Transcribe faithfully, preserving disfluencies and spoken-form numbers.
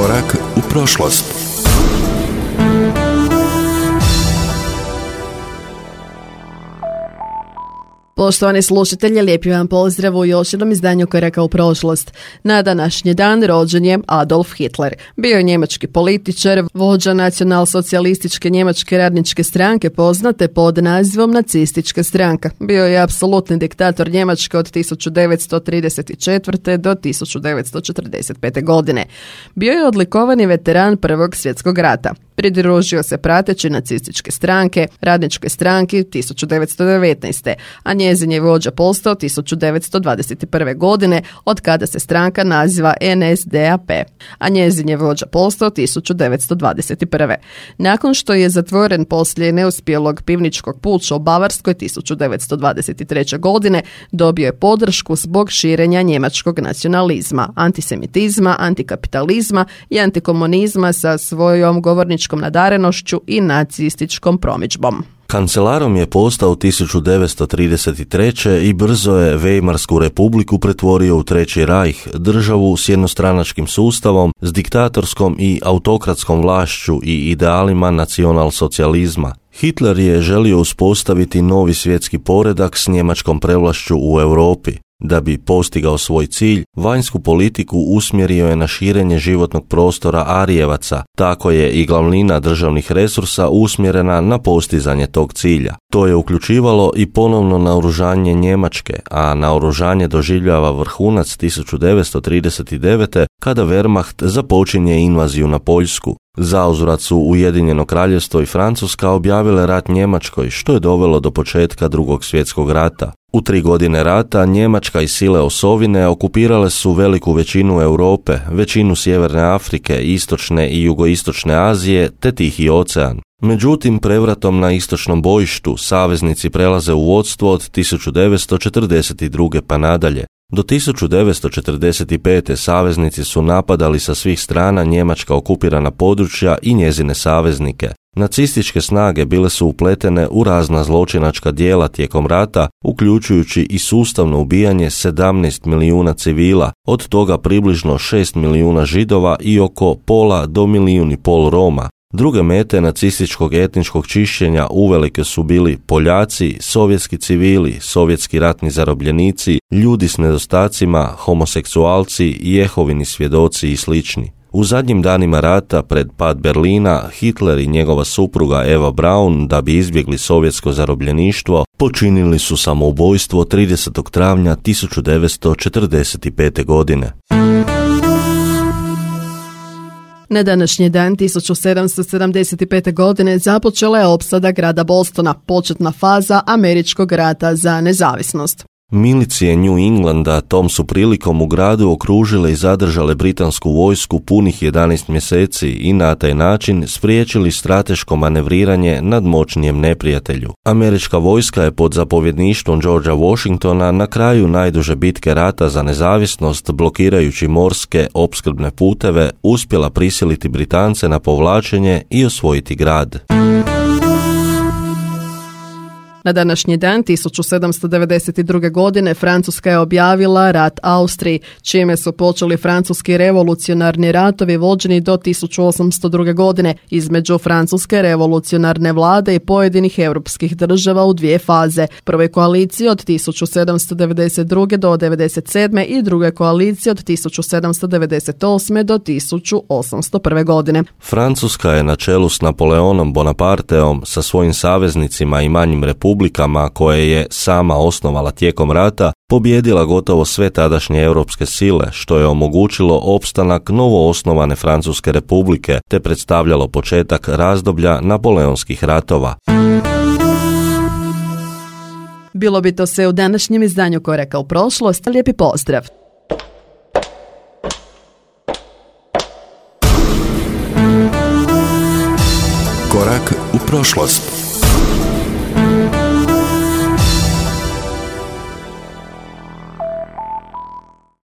Korak u prošlost. Poštovani slušatelji, lijepi vam pozdrav u još jednom izdanju Koraka u prošlost. Na današnji dan rođen je Adolf Hitler. Bio je njemački političar, vođa nacionalsocijalističke njemačke radničke stranke poznate pod nazivom nacistička stranka. Bio je apsolutni diktator Njemačke od tisuću devetsto trideset četvrte. do tisuću devetsto četrdeset pete. godine. Bio je odlikovani veteran Prvog svjetskog rata. Pridružio se prateći nacističke stranke, radničke stranke tisuću devetsto devetnaeste. a njezin je vođa postao tisuću devetsto dvadeset prve. godine, od kada se stranka naziva N S D A P, a njezin je vođa postao tisuću devetsto dvadeset prve. Nakon što je zatvoren poslije neuspjelog pivničkog puča u Bavarskoj tisuću devetsto dvadeset treće. godine, dobio je podršku zbog širenja njemačkog nacionalizma, antisemitizma, antikapitalizma i antikomunizma sa svojom govorničkom nadarenošću i nacističkom promidžbom. Kancelarom je postao tisuću devetsto trideset treće. i brzo je Weimarsku republiku pretvorio u Treći rajh, državu s jednostranačkim sustavom, s diktatorskom i autokratskom vlašću i idealima nacionalsocijalizma. Hitler je želio uspostaviti novi svjetski poredak s njemačkom prevlašću u Europi. Da bi postigao svoj cilj, vanjsku politiku usmjerio je na širenje životnog prostora Arijevaca, tako je i glavnina državnih resursa usmjerena na postizanje tog cilja. To je uključivalo i ponovno naoružanje Njemačke, a naoružanje doživljava vrhunac tisuću devetsto trideset devete. kada Wehrmacht započinje invaziju na Poljsku. Zauzvrat su Ujedinjeno kraljevstvo i Francuska objavile rat Njemačkoj, što je dovelo do početka Drugog svjetskog rata. U tri godine rata Njemačka i sile osovine okupirale su veliku većinu Europe, većinu Sjeverne Afrike, Istočne i Jugoistočne Azije te Tihi ocean. Međutim, prevratom na istočnom bojištu saveznici prelaze u vodstvo od tisuću devetsto četrdeset druge. pa nadalje. Do tisuću devetsto četrdeset pete. saveznici su napadali sa svih strana njemačka okupirana područja i njezine saveznike. Nacističke snage bile su upletene u razna zločinačka djela tijekom rata, uključujući i sustavno ubijanje sedamnaest milijuna civila, od toga približno šest milijuna Židova i oko pola do milijun i pol Roma. Druge mete nacističkog etničkog čišćenja uvelike su bili Poljaci, sovjetski civili, sovjetski ratni zarobljenici, ljudi s nedostacima, homoseksualci, Jehovini svjedoci i slični. U zadnjim danima rata, pred pad Berlina, Hitler i njegova supruga Eva Braun, da bi izbjegli sovjetsko zarobljeništvo, počinili su samoubojstvo tridesetog travnja tisuću devetsto četrdeset pete. godine. Na današnji dan tisuću sedamsto sedamdeset pete. godine započela je opsada grada Bostona, početna faza američkog rata za nezavisnost. Milicije New Englanda tom su prilikom u gradu okružile i zadržale britansku vojsku punih jedanaest mjeseci i na taj način spriječili strateško manevriranje nad moćnijem neprijatelju. Američka vojska je pod zapovjedništvom Georgea Washingtona na kraju najduže bitke rata za nezavisnost, blokirajući morske opskrbne puteve, uspjela prisiliti Britance na povlačenje i osvojiti grad. Na današnji dan tisuću sedamsto devedeset druge. godine Francuska je objavila rat Austriji, čime su počeli francuski revolucionarni ratovi vođeni do tisuću osamsto druge. godine između francuske revolucionarne vlade i pojedinih europskih država u dvije faze. Prve koalicije od tisuću sedamsto devedeset druge. do devedeset sedme. i druge koalicije od tisuću sedamsto devedeset osme. do tisuću osamsto prve. godine. Francuska je na čelu s Napoleonom Bonaparteom sa svojim saveznicima i manjim republikama republikama koje je sama osnovala tijekom rata, pobijedila gotovo sve tadašnje europske sile, što je omogućilo opstanak novoosnovane Francuske republike, te predstavljalo početak razdoblja napoleonskih ratova. Bilo bi to sve u današnjem izdanju Koraka u prošlost. Lijepi pozdrav! Korak u prošlost.